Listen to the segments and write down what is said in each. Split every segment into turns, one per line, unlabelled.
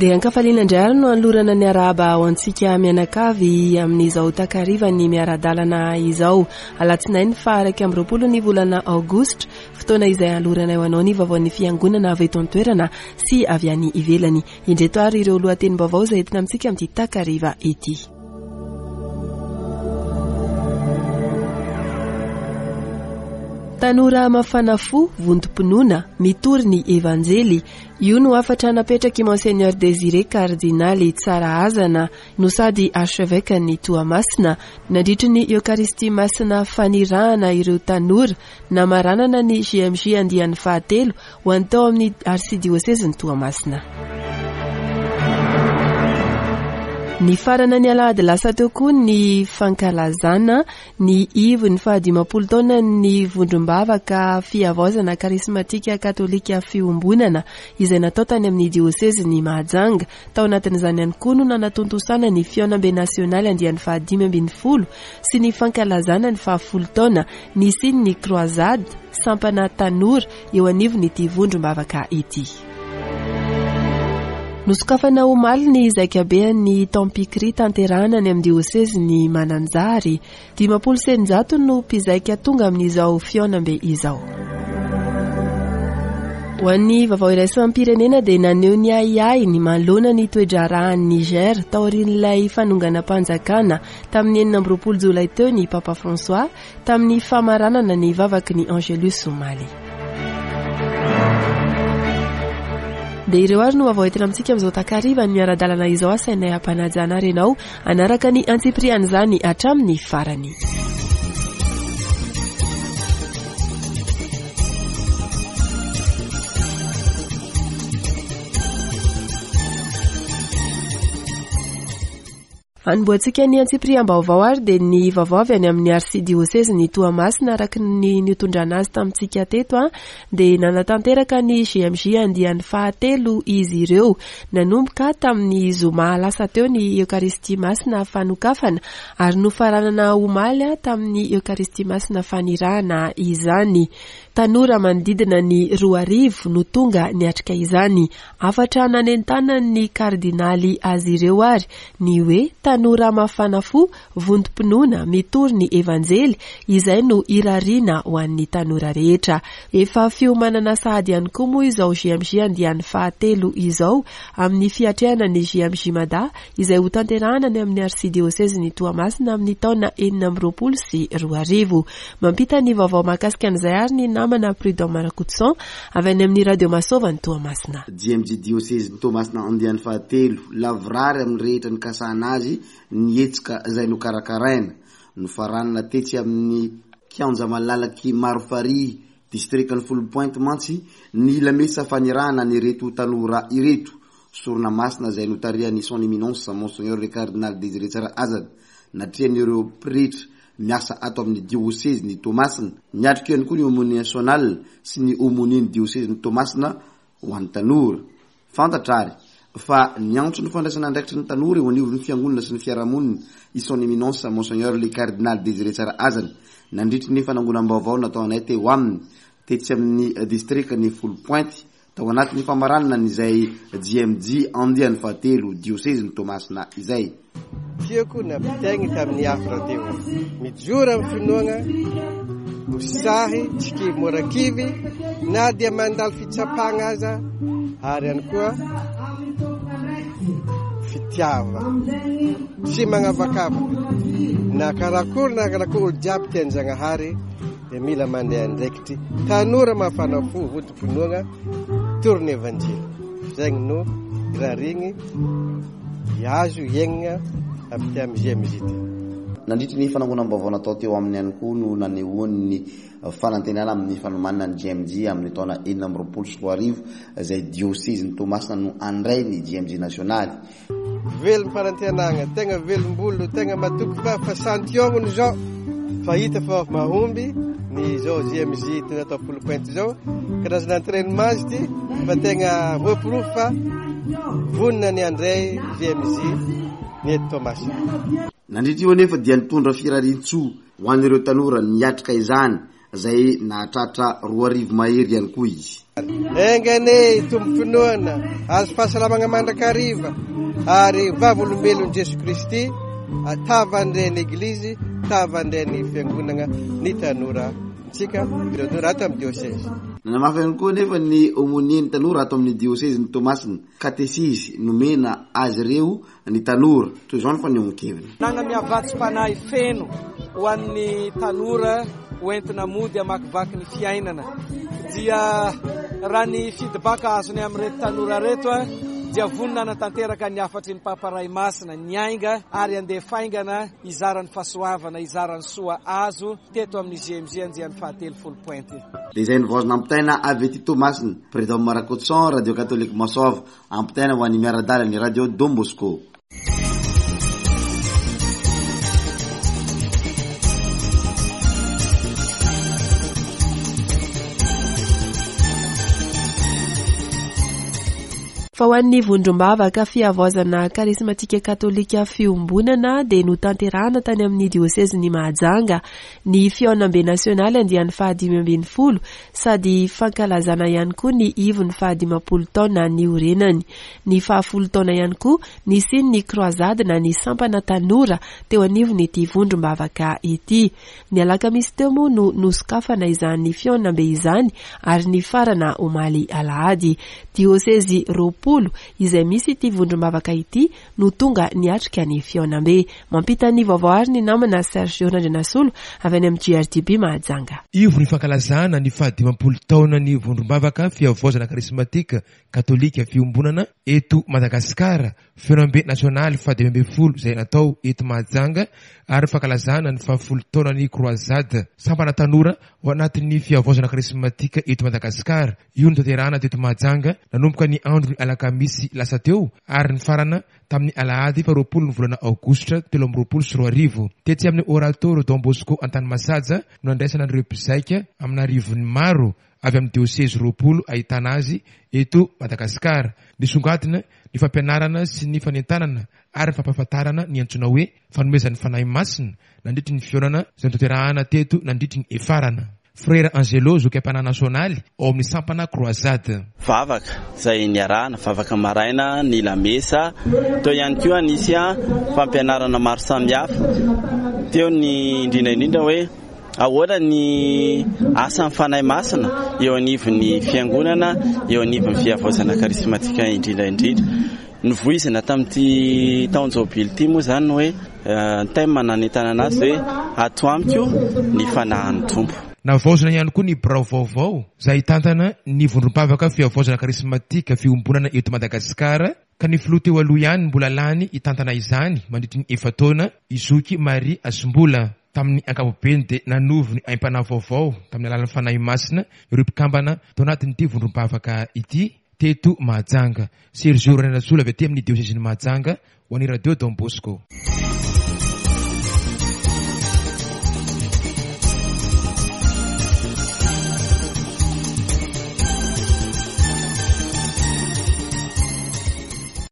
Dia ankafaliana indray ary no anolorana ny arahaba ho antsika mianakavy amin'izao takarivan'ny miara-dalana izao. Alatsinainy faha 21 ny volana aogositra, fotoana izay anoloranay ho anao ny vaovaon'ny fiangonana avy eto an-toerana sy avy any ivelany. Indreto ary ireo lohatenim-baovao izay entina amintsika amin'ity takariva ity. Tanora mafana fo, vontom-pinoana, mitory ny Evanjely. Io no hafatra napetrak'i Monseigneur Désiré Kardinaly Tsarahazana no sady Archevêque-n'i Toamasina, nandritry ny Eokaristia Masina fanirahana ireo tanora namaranana ny JMJ andiany fahatelo ho an'ny tao amin'ny Arsidiosezin'i Toamasina. Nifarana ny alahady lasa teo koa ny fankalazana ny ivon'ny fahadimampolo taonan'ny vondrom-bavaka fihavaozana karismatika katolika fiombonana izay natao tany amin'ny diosezin'i Mahajanga. Tao anatin'izany ihany koa no nanatontosana ny fihaonambe nasionaly andiany faha-15 sy ny fankalazana ny fahafolo taona nisian'ny Croisade sampana tanora eo anivon'ity vondrom-bavaka ity. Nosokafana omaly ny zaikabean'ny Tampikri tanterahana any amin'ny diosezin'i Mananjary. 650 no mpizaika tonga amin'izao fihaonambe izao. Ho an'ny vaovao iraisam-pirenena dia naneho ny ahiahiny manoloana ny toe-draharahan'i Niger taorian'ilay fanonganam-panjakana tamin'ny 26 jolay teo ny Papa François tamin'ny famaranana ny vavaky ny Angelus omaly. Dia ireo ary no vaovao entina amintsika amin'izao takariva ny miara-dalana izao asainay hampanajana ary ianao hanaraka ny antsipirian'izany hatramin'ny farany. Hanombohantsika ny antsipiriam-baovao ary dia ny vaovao avy any amin'ny arsidiosezin'i Toamasina araka ny nitondrana azy tamintsika teto dia nanatanteraka ny GMJ andiany fahatelo izy ireo. Nanomboka tamin'ny zoma lasa teo ny Eokaristia Masina fanokafana ary nofaranana omaly tamin'ny Eokaristia Masina fanirahana izany. Tanora manodidina ny 2000 no tonga niatrika izany. Hafatra nanentanan'ny kardinaly azy ireo ary ny hoe tanora mafana fo, vontom-pinoana, mitory ny Evanjely, izay no irariana ho an'ny tanora rehetra. Efa fiomanana sahady ihany koa moa izao JMJ andiany fahatelo izao amin'ny fiatrehana ny JMJ Mada izay hotanterahana any amin'ny Arsidiosezin'i Toamasina amin'ny taona 2026. Mampita ny vaovao mahakasika an'izay ary ny namana Prudent Marakotoson avy any amin'ny Radio Masova any Toamasina.
JMJ Diosezin'i Toamasina andiany fahatelo, lavorary amin'ny rehetra nikasana azy ny hetsika izay nokarakaraina. Nofaranana tetsy amin'ny kianja malalak'i Marofarihy, distrikan'i Foulpointe mantsy ny lamesa fanirahana an'ireto tanora ireto. Sorona masina izay notarihan'i Son Eminence Monseigneur le Cardinal Désiré Tsarahazana, natrehan'ireo pretra miasa ato amin'ny diosezin'i Toamasina. Niatrika ihany koa ny Aumônier National sy ny Aumônier ny diosezin'i Toamasina ho an'ny tanora. Fantatra ary fa niantso ny fandraisana andraikitry ny tanora eo anivon'ny fiangonana sy ny fiarahamonina i Son Eminence Monseigneur le Cardinal Désiré Tsarahazana nandritry ny fanangonam-baovao nataonay teo aminy tetsy amin'ny distrikan'i Foulpointe Tao anatin'ny famaranana ny izay JMJ andiany fahatelo diosezin'i Toamasina izay.
Tiako nampitaigny tamin'ny hafatra teo. Mijoro amin'ny finoagna, ho sahy, tsy kivy mora kivy na dia mandalo fitsapagna aza ary ihany koa fitiava tsy magnavakavaka na karakory na karakory olo jiaby tian-Jagnahary dia mila mandeha andraikitry tanora mafana fo Finoagna tory ny Evanjely. Zegny no irarigny hiazo hiaignana avy ty amy GMJ ty.
Nandritry ny fanangonam-baovao natao teo aminy ihany koa no nanehoany ny fanantenana amin'ny fanomanana ny GMJ amin'ny taona 2026 izay diosezin'i Toamasina no handray ny GMJ nasionaly.
Velom-panantenagna, tegna velom-bolo, tegna matoky fa fa santionany izao fa hita fa mahomby ny izao JMJ ty natao Foulpointe izao, karazana entrainement izy ty fa tegna voaporofo fa vonona ny handray JMJ ny eto Toamasina.
Nandritra io anefa dia nitondra firarian-tsoa ho an'ireo tanora niatrika izany. izay nahatratra 2000 mahery ihany koa izy.
Enga anie hitombo finoana, azo fahasalamagna mandrakariva ary vavolombelon'i Jesoa Kristy tavan'ireny Eglizy, tavan'ireny Fiangonagna ny tanora ntsika, ireo tanora ato amin'ny diosezy.
Nanamafy ihany koa anefa ny Aumônier ny tanora ato amin'ny diosezin'i Toamasina, katesizy nomena azy ireo ny tanora. Toy izao ny fanehoan-keviny.
Nanana vatsim-panahy feno ho an'ny tanora ho entina mody hamakivaky ny fiainana. Dia raha ny feedback azony amin'ireto tanora ireto dia vonona hanatanteraka ny hafatry ny Papa Ray Masina, niainga ary handeha faingana hizara ny fahasoavana, hizara ny soa azo teto amin'ny GMG andiany fahatelo Pointe.
Dia izay ny vaovao nampitaina avy aty Toamasina. Predom Rakotoson, Radio Katolika Masoava. Ampitaina ho an'ny miara-dalana ny Radio Don Bosco.
Fa ho an'ny vondrom-bavaka fihavaozana karismatika katolika fiombonana dia notanterahana tany amin'ny diosezin'i Mahajanga ny fihaonambe nasionaly andiany faha-15 sady fankalazana ihany koa ny ivon'ny faha-50 taona niorenany. Ny fahafolo taona ihany koa nisian'ny Croisade na ny sampana tanora teo anivon'ity vondrom-bavaka ity. Ny alakamisy teo moa no nosokafana izany fihaonambe izany ary nifarana omaly alahady. Diosezy 20 izay misy ity vondrom-bavaka ity no tonga niatrika ny fihaonambe. Mampita ny vaovao àry ny namana Sergio Randrianasolo avy any amin'ny GRDB Mahajanga.
Ivo ny fankalazana ny fahadimampolo taonan'ny Vondrom-bavaka Fihavaozana Karismatika Katolika Fiombonana eto Madagasikara, fihaonambe nasionaly fahadimy ambin'ny folo izay natao eto Mahajanga ary fankalazana ny fahafolo taonan'ny Croisade Sampana Tanora ao anatin'ny Fihavaozana Karismatika eto Madagasikara. Io notanterahana teto Mahajanga nanomboka ny andron'ny alakamisy lasa teo ary nifarana tamin'ny alahady faharoapolo ny volana aogositra 2023. Tetsy amin'ny Oratorio Don Bosco Antanimasaja no nandraisana an'ireo mpizaika amin'arivony maro avy amin'ny diosezy 20 ahitana azy eto Madagasikara. Nisongadina ny fampianarana sy ny fanentanana ary ny fampahafantarana ny antsoina hoe fanomezan'ny Fanahy Masina nandritry ny fihaonana izay notanterahana teto nandritry ny hefarana. Frera Angelo, zoky am-panahy nasionaly ao amin'ny sampana Croisade.
Vavaka izay niarahana, vavaka maraina, ny lamesa, teo ihany koa nisy fampianarana maro samihafa, teo ny indrindra indrindra hoe ahoana ny asan'ny Fanahy Masina eo anivon'ny fiangonana, eo anivon'ny fihavaozana karismatika indrindra indrindra. Novoizina tamin'ity taon-jobily ity moa izany ny hoe thème nanentanana azy hoe ato amiko ny fanahin'ny Tompo.
Navaozina ihany koa ny birao vaovao izay hitantana ny vondrom-pavaka fihavaozana karismatika fiombonana eto Madagasikara ka ny filoha teo aloha ihany mbola lany hitantana izany mandritry ny efa-taona i Zoky Marie Hasimbola. Tamin'ny ankapobeny dia nanovo ny aim-panahy vaovao tamin'ny alalan'ny Fanahy Masina ireo mpikambana tao anatin'ity vondrom-pavaka ity. Teto Mahajanga. Sergio Randrianasolo avy aty amin'ny diosezin'i Mahajanga ho an'ny Radio Don Bosco.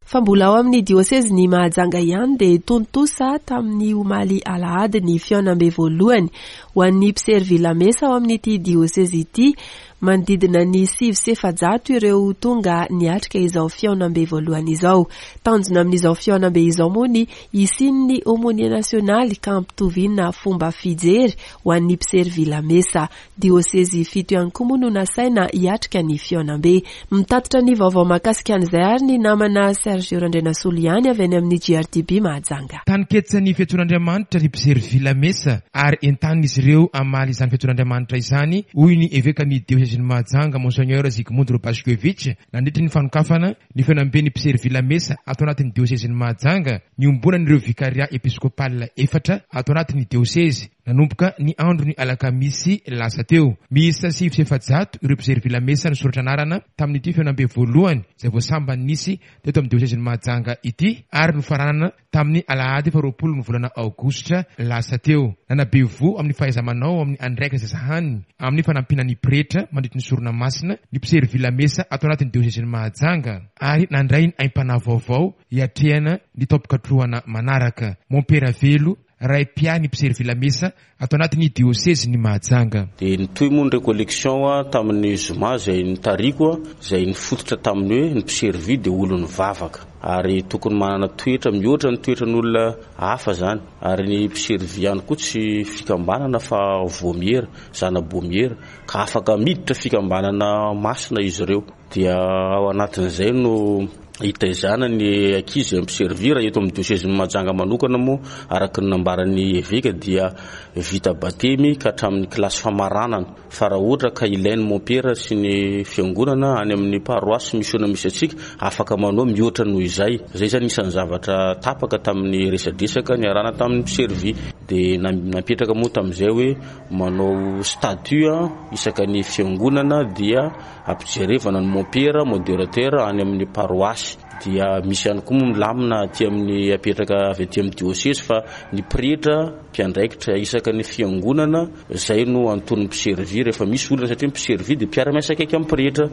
Fa mbola ao amin'ny diosezin'i Mahajanga ihany dia tontosa tamin'ny omaly alahady ny fihaonambe voalohany ho an'ny mpiservy lamesa ao amin'ity diosezy ity. Manodidina ny 409 ireo tonga niatrika izao fihaonambe voalohany izao. Tanjona amin'izao fihaonambe izao moa ny hisian'ny aumônier nasionaly ka hampitoviana fomba fijery ho an'ny mpiservy lamesa. Diosezy fito ihany koa moa no nasaina hiatrika ny fihaonambe. Mitatitra ny vaovao mahakasika an'izay ary ny namana Sergio Randrianasolo ihany avy any amin'ny GRTB Mahajanga.
Taninketsa ny fiantsoan'Andriamanitra ry mpiservy lamesa ary entanina izy ireo hamaly izany fiantsoan'Andriamanitra izany, hoy ny evekan'ny diosezin'i Mahajanga, Monseigneur Zygmunt Robaszkiewicz, nandritry ny fanokafana ny fihaonamben'ny mpiservy lamesa ato anatin'ny diosezin'i Mahajanga, niombonan'ireo vikaria episkopal efatra ato anatin'ny diosezy, nanomboka ny andron'ny alakamisy lasa teo. Miisa 409 ireo mpiservy lamesa nisoratra anarana tamin'ity fihaonambe voalohany izay vao sambany nisy teto amin'ny diosezin'i Mahajanga ity ary nofaranana tamin'ny alahady faharoapolo ny volana aogositra lasa teo. Nanabe voho amin'ny fahaiza-manao amin'ny andraikitra izay sahaniny amin'ny fanampiana ny pretra mandritry ny sorona masina ny mpiservy lamesa ato anatin'ny diosezin'i Mahajanga ary nandray ny aim-panahy vaovao hiatrehana ny taom-pikatrohana manaraka. Mompera Velo. ray mpiahy ny mpiservy lamesa ato anatin'ny diosezin'i Mahajanga.
Dia nitohy moa ny recollection tamin'ny zoma izay nitariko, izay nifototra tamin'ny hoe ny mpiservy dia olon'ny vavaka ary tokony manana toetra mihoatra ny toetran'olona hafa izany. Ary ny mpiservy ihany koa tsy fikambanana fa voamiera, zana-boamiera, ka afaka miditra fikambanana masina izy ireo. Dia ao anatin'izay no hitaizana ny ankizy mpiservy. Raha eto amin'ny diosezin'i Mahajanga manokana moa, araka ny nambaran'ny eveka dia vita batemy ka hatramin'ny kilasy famaranana. Fa raha ohatra ka ilain'ny mompera sy ny fiangonana any amin'ny paroasy misiona misy antsika, afaka manao mihoatra noho izay. Izay izany isan'ny zavatra tapaka tamin'ny resadresaka niarahana tamin'ny mpiservy. Dia napetraka moa tamin'izay hoe manao statut isaka ny fiangonana dia ampijerevana ny mompera, modérateur any amin'ny paroasy. Dia misy ihany koa moa milamina aty amin'ny apetraka avy aty amin'ny diosezy fa ny pretra mpiandraikitra isaka ny fiangonana izay no anton'ny mpiservy rehefa misy olana, satria ny mpiservy dia mpiara-miasa akaiky amin'ny pretra.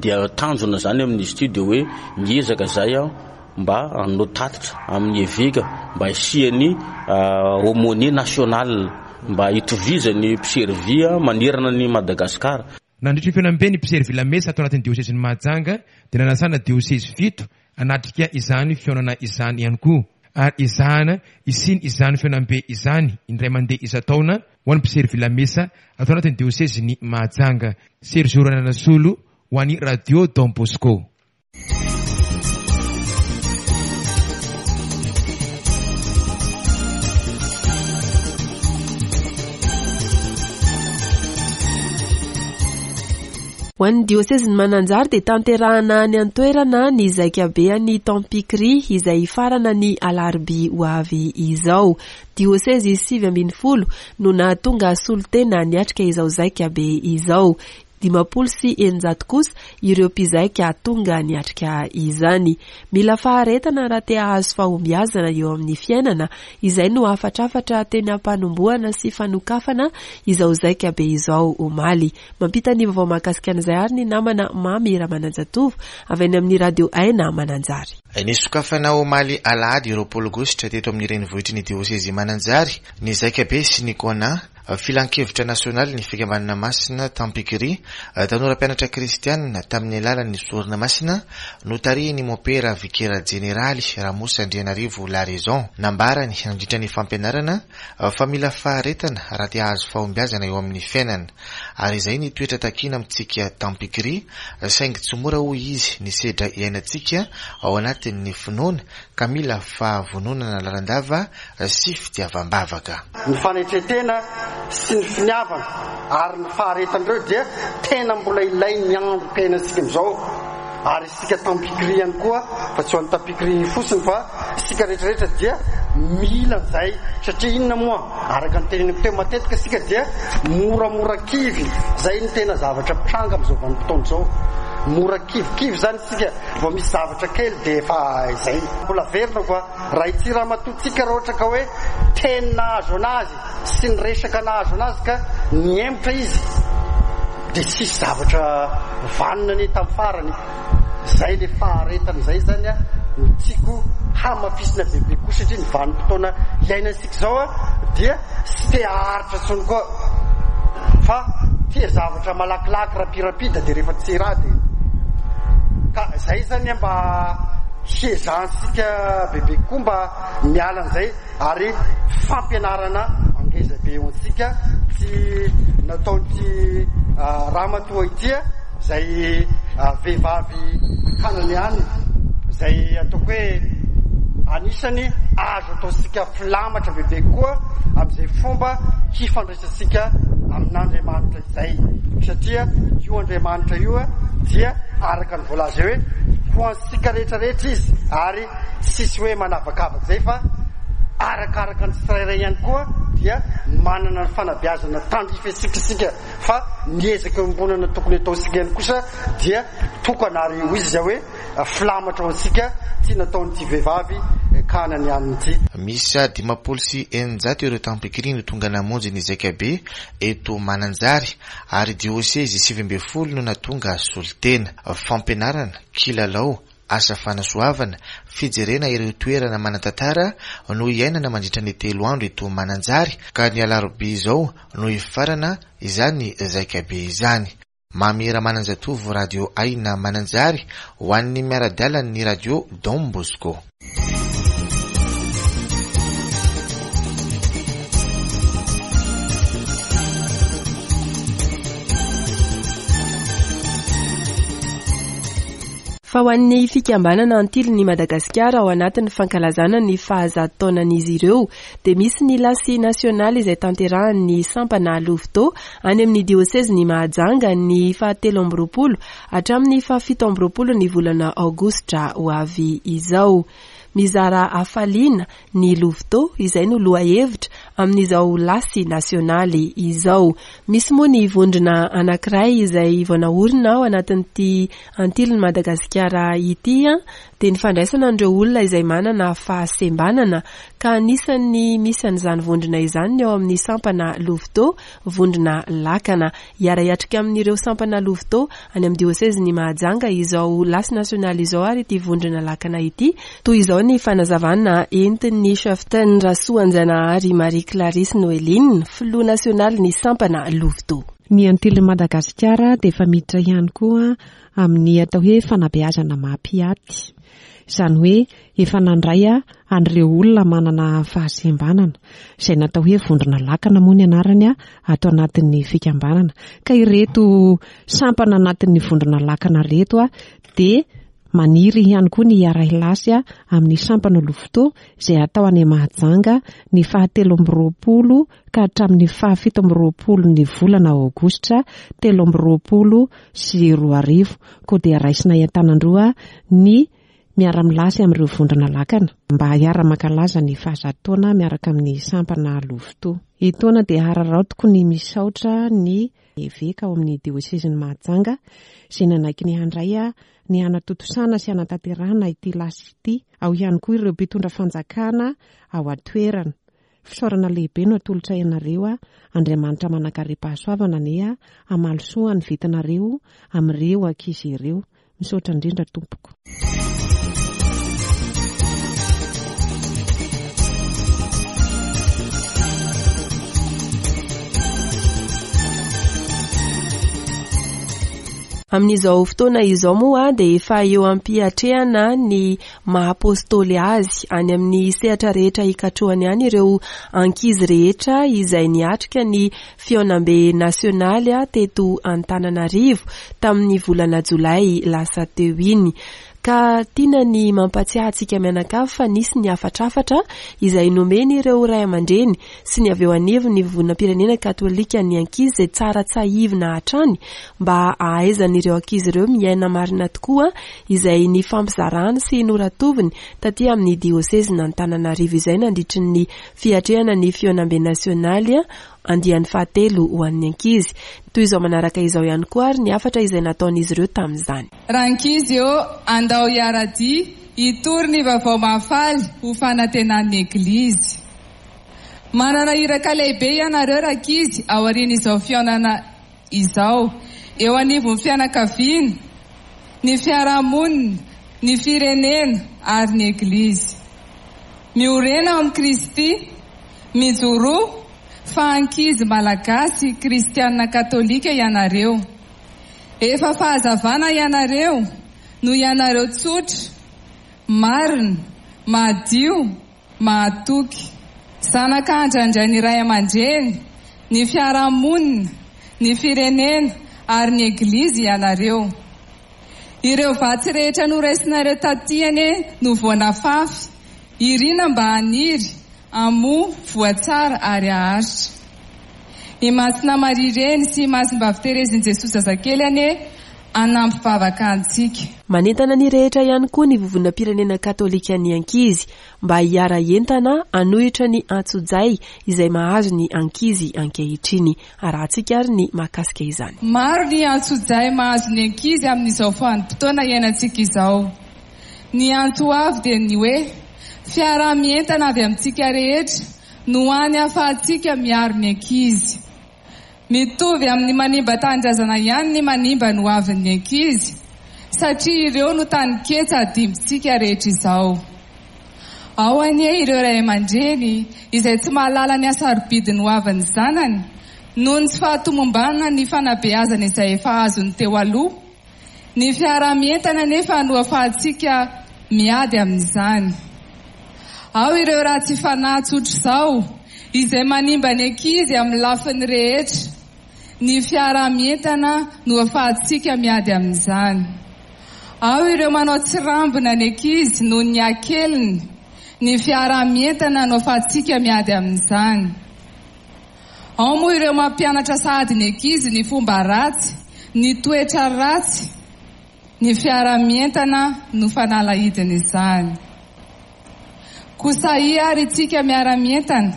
Dia tanjona izany amin'izy ity dia hoe miezaka izay mba hanao tatitra amin'ny eveka mba hisian'ny aumônier national mba hitovizan'ny mpiservy manerana an'i Madagasikara.
Nandritra io fihaonambe ny mpiservy lamesa ato anatin'ny diosezin'i Mahajanga dia nanasana diosezy fito hanatrika izany fihaonana izany ihany koa ary ezahana hisiany izany fihaonambe izany indray mandeha isan-taona ho an'ny mpiservy lamesa ato anatin'ny diosezin'i Mahajanga. Sergio Rananasolo ho an'ny Radio Don Bosco.
Ho an'ny diosezin'i Mananjary dia tanterahana any an-toerana ny zaikabean'ny Tampikri izay hifarana ny alarobia ho avy izao. Diosezy 19 no nahatonga solontena niatrika izao zaikabe izao. 650 kosa ireo mpizaika tonga niatrika izany. Mila faharetana raha te hahazo fahombiazana eo amin'ny fiainana, izay no hafatrafatra teny am-panombohana sy fanokafana izao zaika be izao omaly. Mampita ny vaovao mahakasika an'izay ary ny namana Mamy Ramananjatovo avy any amin'ny Radio Aina Mananjary.
Nisokafana omaly alahady 20 aogositra teto amin'ny renivohitry ny diosezy Mananjary ny zaikabe sy ny Kona Filankevitra nasionalin'ny Fikambanana Masina Tampikiri, tanora mpianatra kristianina tamin'ny alalan'ny sorona masina notarihin'ny Mompera Vikera Jeneraly Ramosa Andrianarivo Laraison. Nambarany nandritra ny fampianarana fa mila faharetana raha te hahazo fahombiazana eo amin'ny fiainana ary izay ny toetra takiana amintsika Tampikiri saingy tsy mora hoy izy ny sedra iainantsika ao anatin'ny finoana ka mila fahavononana lalandava sy fitiavam-bavaka.
Ny fanetren-tena sy ny finiavana ary ny faharetana ireo dia tena mbola ilain'ny androm-piainantsika amin'izao ary isika Tampikri ihany koa fa tsy ho an'ny Tampikri fotsiny fa isika rehetra rehetra dia mila an'izay satria inona moa araka ny teneniko teo matetika isika dia moramora kivy izay no tena zavatra mitranga amin'izao vanim-potoana izao mora kivikivy izany isika vao misy zavatra kely dia efa izay. Mbola averina koa Raha ity ramatoantsika raha ohatra ka hoe teny nahazo anazy sy ny resaka nahazo anazy ka nihemotra izy dia tsisy zavatra vanona anie tamin'ny farany. Izay le faharetana izay izany no tiako hamafisina bebe koa satria ny vanim-potoana iainantsika izao dia tsy te haharitra intsony koa fa tia zavatra malakilaky rapirapida dia rehefa tsy raha dia ka izay izany mba Hiezahantsika bebe kokoa mba miala an'izay ary fampianarana angeza be ho antsika ity nataon'ity ramatoa ity izay vehivavy kananeana izay ataoko hoe anisany azo ataontsika filamatra bebe kokoa amin'izay fomba hifandraisantsika amin'Andriamanitra izay satria io Andriamanitra io dia araka ny voalaza eo hoe ho Tsika rehetra rehetra izy ary tsisy hoe manavakavaka izay fa arakaraka ny tsirairay ihany koa dia manana ny fanabeazana tandrify antsika isika fa ny ezaka iombonana tokony ataontsika ihany kosa dia tokana ary hoy izy izay hoe filamatra ho antsika ity nataon'ity vehivavy kananianina ity.
Miisa 650 ireo tampikiri no tonga namonjy ny zaikabe eto Mananjary ary diosezy 19 no nahatonga solontena. Fampianarana, kilalao. Asa fanasoavana, fijerena ireo toerana manan-tantara no hiainana mandritra ny telo andro eto Mananjary ka ny alarobia izao no hifarana izany zaikabe izany. Mamy Ramananjatovo Radio Aina Mananjary ho an'ny miara-dalan'ny Radio Don Bosco.
Fa ho an'ny fikambanana Antilin'i Madagasikara ao anatin'ny fankalazana ny fahazato taonan'izy ireo dia misy ny lasy nasionaly izay tanterahan'ny sampana Louveteau any amin'ny diosezin'i Mahajanga ny fahatelo amby 20 hatramin'ny faha-27 ny volana aogositra ho avy izao. Mizara hafaliana ny Louveteau izay no lohahevitra amin'izao lasy nasionaly izao. Misy moa ny vondrona anankiray izay vao naorina ao anatin'ity Antilin'i Madagasikara ity dia ny fandraisana an'ireo olona izay manana fahasembanana ka anisan'ny misy an'izany vondrona izany ny ao amin'ny sampana Louveteau, vondrona lakana. Hiara-hiatrika amin'ireo sampana Louveteau any amin'ny diosezin'i Mahajanga izao lasy nasionaly izao ary ity vondrona lakana ity. Toy izao ny fanazavana entin'ny Cheftaine Rasoanjanahary Marie Clarisse Noeline, filoha nasionalin'ny sampana Louveteau.
Ny Antilin'i Madagasikara dia efa miditra ihany koa amin'ny atao hoe fanabeazana maha-mpiaty. Izany hoe efa nandray an'ireo olona manana fahasembanana, izay natao hoe vondrona lakana moa ny anarany ato anatin'ny fikambanana. Ka ireto sampana anatin'ny vondrona lakana ireto dia maniry ihany koa ny hiara-hilasy amin'ny sampana Louveteau izay hatao any Mahajanga ny fahatelo amby 20 ka hatramin'ny faha-27 ny volana aogositra 2023. Koa dia raisinay an-tanan-droa ny miara-milasy amin'ireo vondrona lakana mba hiara-mankalaza ny fahazato taona miaraka amin'ny sampana Louveteau. Etoana dia hararaotiko ny misaotra ny eveka ao amin'ny diosezin'i Mahajanga izay nanaiky ny handray ny hanatontosana sy hanatanterahana ity lasy ity. Ao ihany koa ireo mpitondra fanjakana ao an-toerana. Fisaorana lehibe no atolotray anareo, Andriamanitra manankarem-pahasoavana anie hamaly soa ny vitanareo amin'ireo ankizy ireo. Misaotra indrindra tompoko.
Amin'izao fotoana izao moa dia efa eo am-piatrehana ny maha apostoly azy any amin'ny sehatra rehetra hikatrohany any ireo ankizy rehetra izay niatrika ny fihaonambe nasionaly teto Antananarivo tamin'ny volana jolay lasa teo iny. Ka tiana ny mampatsiahy antsika mianakavy fa nisy ny hafatrafatra izay nomen'ireo ray aman-dreny sy ny avy eo anivon'ny Vovonam-pirenena Katolika ny ankizy izay tsara tsahivina hatrany mba hahaizan'ireo ankizy ireo miaina marina tokoa izay nifampizarany sy noratoviny taty amin'ny diosezin'Antananarivo izay nandritry ny fiatrehana ny fihaonambe nasionaly andiany fahatelo ho an'ny ankizy. Toy izao manaraka izao ihany koa ary ny hafatra izay nataon'izy ireo tamin'izany.
Rankizy ô, andao hiara-dia hitory ny vaovao mahafaly ho fanantenan'ny Eglizy. Manana iraka lehibe ianareo rankizy aorian'izao fihaonana izao, eo anivon'ny fianakaviana, ny fiarahamonina, ny firenena ary ny Eglizy. Miorena ao amin'i Kristy, mijoroa fa ankizy Malagasy kristiana katolika ianareo. Efa fahazavana ianareo noho ianareo tsotra, marina, madio, mahatoky. Zanaka andrandrain'ny ray aman-dreny, ny fiarahamonina, ny firenena ary ny Eglizy ianareo. Ireo vatsy rehetra noraisinareo taty anie no vao nafafy, irina mba haniry, hamoa, voa tsara ary haharitra. I Masina Maria Reny sy i Masimbavy Terezin'i Jesoa Zazakely anie hanampy vavaka antsika.
Manentana ny rehetra ihany koa ny Vovonam-pirenena Katolikan'ny Ankizy mba hiara-hientana hanohitra ny antsojay izay mahazo ny ankizy ankehitriny. Arahantsika ary ny mahakasika izany.
Maro ny antsojay mahazo ny ankizy amin'izao vanim-potoana iainantsika izao. Ny antso avy dia ny hoe, fiaraha-mientana avy amintsika rehetra no hany ahafahantsika miaro ny ankizy. Mitovy amin'ny manimba tanindrazana ihany ny manimba ny hoavin'ny ankizy. satria ireo no taninketsa adimbintsika rehetra izao. Ao anie ireo ray aman-dreny izay tsy mahalala ny hasarobidin'ny hoavin'ny zanany noho ny tsy fahatomombanan'ny fanabeazana izay efa azony teo aloha. Ny fiaraha-mientana anefa no afahantsika miady amin'izany. Ao ireo ratsy fanahy tsotr'izao izay manimba ny ankizy amin'ny lafiny rehetra. Ny fiaraha-mientana no afahantsika miady amin'izany. Ao ireo manao tsirambina ny ankizy noho ny hakeliny. Ny fiaraha-mientana no afahantsika miady amin'izany. Ao moa ireo mampianatra sahady ny ankizy ny fomba ratsy, ny toetra ratsy. Ny fiaraha-mientana no fanalahidin'izany. Koa sahia ary itsika miara-mientana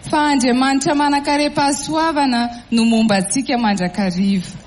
fa Andriamanitra manan-karem-pahasoavana no momba antsika mandrakariva.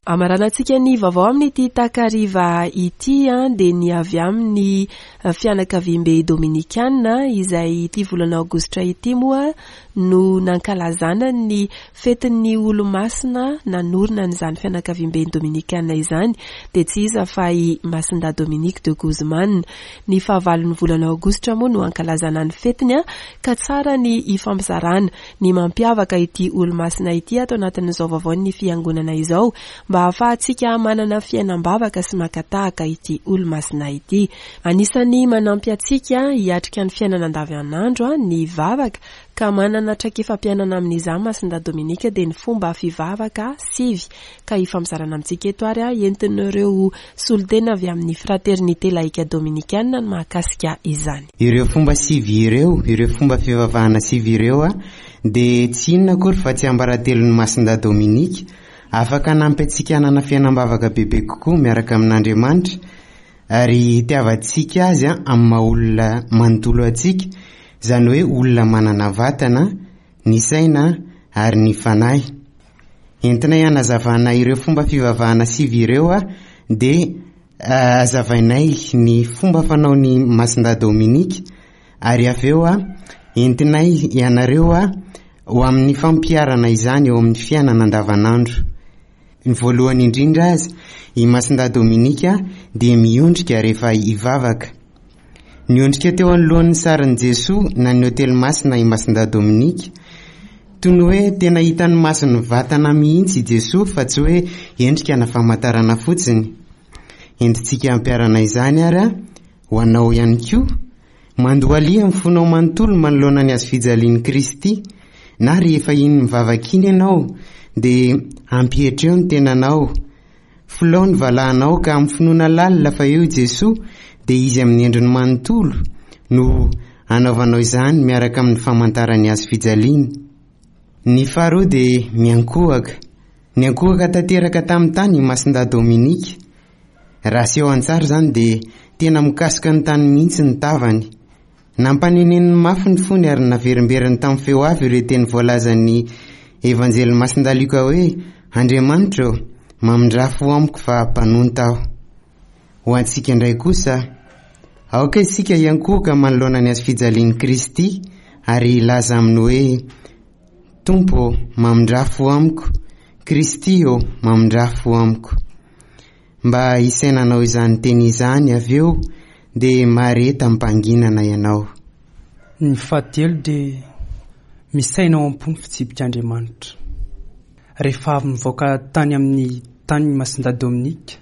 Amaranantsika ny vaovao amin'ity takariva ity dia ny avy amin'ny fianakaviambe Dominikana izay ity volana aogositra ity moa no nankalazana ny fetin'ny olomasina nanorina an'izany fianakaviamben'ny Dominikana izany dia tsy iza fa i Masindahy Dominique de Guzman. Ny fahavalon'ny volana aogositra moa no ankalazana ny fetiny ka tsara ny hifampizarana ny mampiavaka ity olomasina ity ato anatin'izao vaovaon'ny fiangonana izao mba hahafahantsika manana fiainam-bavaka sy maka tahaka ity olomasina ity. Anisan'ny manampy antsika hiatrika ny fiainana andavanandro ny vavaka ka manana traikefam-piainana amin'izany Masindahy Dominika dia ny fomba fivavaka sivy ka hifampizarana amintsika eto ary entin'ireo solontena avy amin'ny Fraternité Laïque Dominikana ny mahakasika izany.
Ireo fomba sivy ireo, ireo fomba fivavahana sivy ireo dia tsy inona akory fa tsiambaratelon'i Masindahy Dominika, afaka hanampy antsika hanana fiainam-bavaka bebe kokoa miaraka amin'Andriamanitra ary hitiavantsika Azy amin'ny maha olona manontolo antsika, izany hoe olona manana vatana, ny saina ary ny fanahy. Entinay hanazavana ireo fomba fivavahana sivy ireo dia hazavainay ny fomba fanaon'i Masindahy Dominika ary avy eo entinay ianareo ho amin'ny fampiharana izany eo amin'ny fiainana andavanandro. Ny voalohany indrindra aza, i Masindahy Dominika dia miondrika rehefa hivavaka. Niondrika teo anoloan'ny sarin'i Jesoa na ny Ôtely Masina i Masindahy Dominika. Toy ny hoe tena hitan'ny masony vatana mihitsy i Jesoa fa tsy hoe endrika na famantarana fotsiny. Entintsika hampiharana izany ary ho anao ihany koa. Mandohalia amin'ny fonao manontolo manoloana ny hazofijalian'i Kristy, na rehefa iny mivavaka iny ianao dia ampietreo ny tenanao. Filao ny valahanao ka amin'ny finoana lalina fa eo i Jesoa dia Izy amin'ny endriny manontolo no anaovanao izany miaraka amin'ny famantaran'ny hazofijaliana. Ny faharoa dia miankohoka. Niankohoka tanteraka tamin'ny tany i Masindahy Dominika. Raha aseho an-tsary izany dia tena mikasoka ny tany mihitsy ny tavany. Nampaneneniny mafy ny fony ary naverimberiny tamin'ny feo avo ireo teny voalazan'ny Evanjelin'i Masindahy Lioka hoe, Andriamanitra ô, mamindrà fo amiko fa mpanonta aho. Ho antsika indray kosa, aoka isika hiankohoka manoloana ny hazofijalian'i Kristy ary hilaza aminy hoe, Tompo ô, mamindrà fo amiko, Kristy ô, mamindrà fo amiko. Mba hisainanao izany teny izany avy eo dia mahareta amim-pahanginana ianao.
Ny fahatelo dia misaina ao am-po ny fitsipik'Andriamanitra. Rehefa avy nivoaka tany amin'ny tanin'i Masindahy Dominika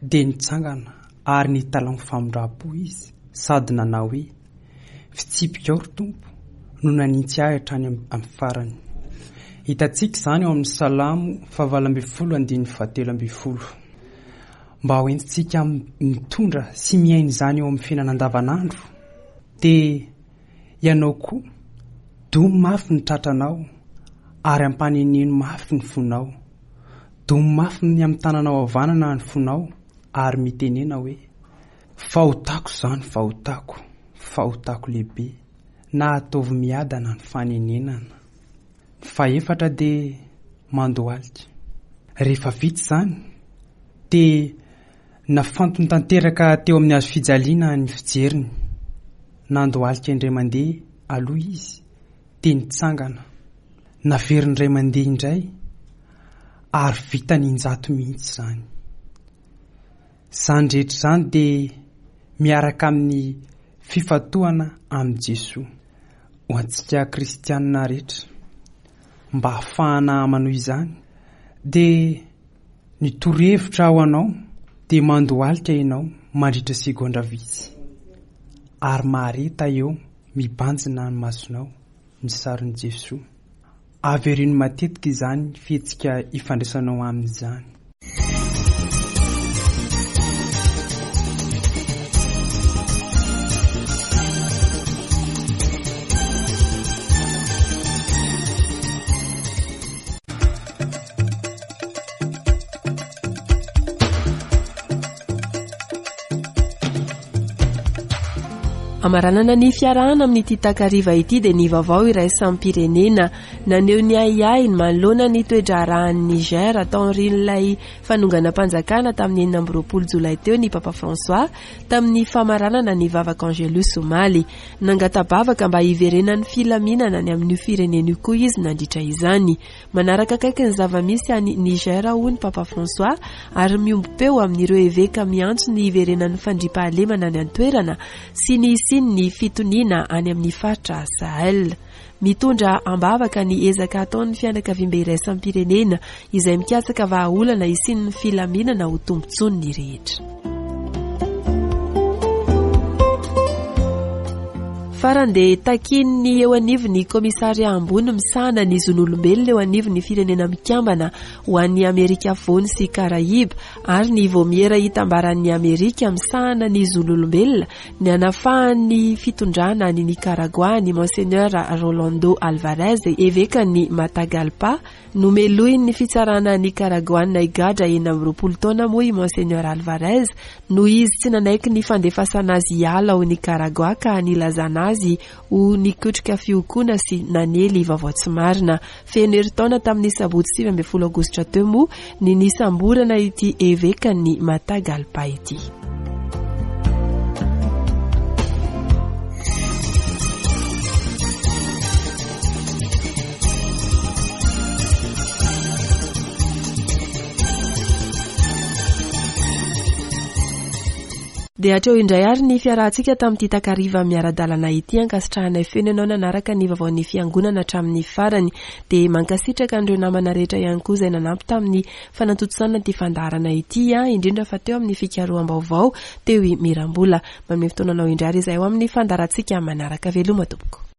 dia nitsangana ary nitalaho ny famindram-po izy sady nanao hoe, Fitsipikao ry Tompo no nanintsy ahy hatrany amin'ny farany. Hitantsika izany ao amin'ny Salamo fahavalo ambin'ny folo andininy fahatelo ambin'ny folo. Mba ho entintsika mitondra sy miaina izany eo amin'ny fiainana andavanandro, dia ianao koa, domy mafy ny tratranao ary ampaneneno mafy ny fonao. Domy mafy ny amin'ny tananao havanana ny fonao ary mitenena hoe, Fahotako izany, fahotako, fahotako lehibe, na ataovy miadana ny fanenenana. Ny fahefatra dia mandohalika. Rehefa vita izany dia nafantony tanteraka teo amin'ny hazo fijaliana ny fijeriny. Nandohalika indray mandeha aloha izy dia nitsangana. Naveriny indray mandeha indray ary vitany injato mihitsy izany. Izany rehetra izany dia miaraka amin'ny fifantohana amin'i Jesoa. Ho antsika kristianina rehetra, mba hahafahana manohy izany dia ny torohevitra ho anao dia mandohalika ianao mandritra segondra vitsy ary mahareta eo mibanjina ny masonao ny sarin'i Jesoa. Avereno matetika izany fihetsika ifandraisanao aminy izany.
Amaranana ny fiarahana amin'ity takariva ity dia ny vaovao iraisam-pirenena naneho ny ahiahiny manoloana ny toe-draharahan'i Niger taorian'ilay fanonganam-panjakana tamin'ny 26 jolay teo ny Papa François tamin'ny famaranana ny vavaka Angelus omaly. Nangata-bavaka mba hiverenan'ny filaminana any amin'io firenena io koa izy nandritra izany. Manaraka akaiky ny zava-misy any Niger hoy ny Papa François ary miombom-peo amin'ireo eveka miantso ny hiverenan'ny fandriampahalemana any an-toerana sy ny hisian'ny fitoniana any amin'ny faritra Sahel. Mitondra am-bavaka ny ezaka ataon'ny fianakaviambe iraisam-pirenena izay mikatsaka vahaolana hisian'ny filaminana ho tombontsoan'ny rehetra. Farany dia takian'ny eo anivon'ny Komisaria ambony misahana ny zon'olombelona eo anivon'ny Firenena Mikambana ho an'i Amerika Afovoany sy Karaiba ary ny Vaomiera Itambaran'i Amerika misahana ny zon'olombelona ny hanafahan'ny fitondrana any Nicaragua an'i Monseigneur Rolando Alvarez, evekan'i Matagalpa. Nomelohin'ny fitsarana Nikaragoana higadra 26 taona moa i Monseigneur Alvarez noho izy tsy nanaiky ny fandefasana azy hiala ao Nicaragua ka nilazana azy ho nikotrika fihokoana sy nanely vaovao tsy marina. Feno herintaona tamin'ny sabotsy 19 aogositra teo moa ny nisamborana ity evekan'ny Matagalpa ity. Dia hatreo indray ary ny fiarahantsika tamin'ity takariva miara-dalana ity. Ankasitrahanay feno ianao nanaraka ny vaovaon'ny fiangonana hatramin'ny farany. Dia mankasitraka an'ireo namana rehetra ihany koa izay nanampy tamin'ny fanatontosana ity fandaharana ity, indrindra fa teo amin'ny fikaroham-baovao teo i Mirambola. Manome fotoana anao indray ary izahay ho amin'ny fandaharantsika manaraka. Veloma tompoko.